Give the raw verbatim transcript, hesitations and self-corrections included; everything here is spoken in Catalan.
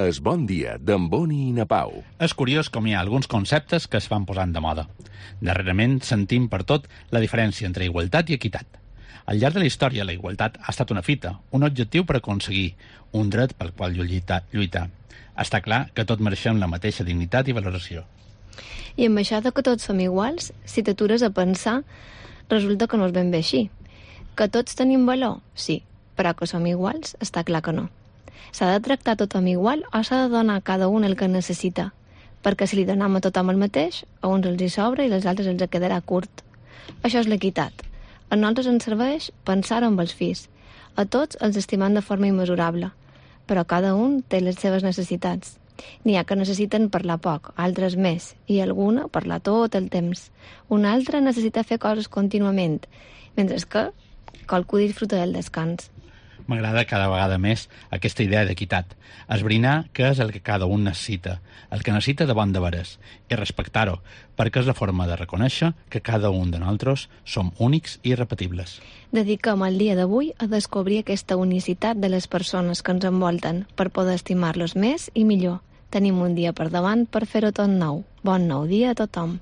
Es bon dia d'en Boni i na Pau. És curiós com hi ha alguns conceptes que es van posant de moda. Darrerament sentim per tot la diferència entre igualtat i equitat. Al llarg de la història, la igualtat ha estat una fita, un objectiu per aconseguir, un dret pel qual lluitar. lluitar. Està clar que tots mereixem la mateixa dignitat i valoració. I amb això de que tots som iguals, si t'atures a pensar, resulta que no és ben bé així. Que tots tenim valor? Sí, però que som iguals? Està clar que no. S'ha de tractar tothom igual o s'ha de donar a cada un el que necessita? Perquè si li donem a tothom el mateix, a uns els hi sobra i als altres els quedarà curt. Això és l'equitat. A nosaltres ens serveix pensar amb els fills. A tots els estimem de forma immesurable, però cada un té les seves necessitats. N'hi ha que necessiten parlar poc, altres més, i alguna parlar tot el temps. Una altra necessita fer coses contínuament, mentre que qualcú disfruta del descans. M'agrada cada vegada més aquesta idea d'equitat, esbrinar què és el que cada un necessita, el que necessita de bon de veres, i respectar-ho, perquè és la forma de reconèixer que cada un de nosaltres som únics i irrepetibles. Dediquem el dia d'avui a descobrir aquesta unicitat de les persones que ens envolten per poder estimar-los més i millor. Tenim un dia per davant per fer-ho tot nou. Bon nou dia a tothom.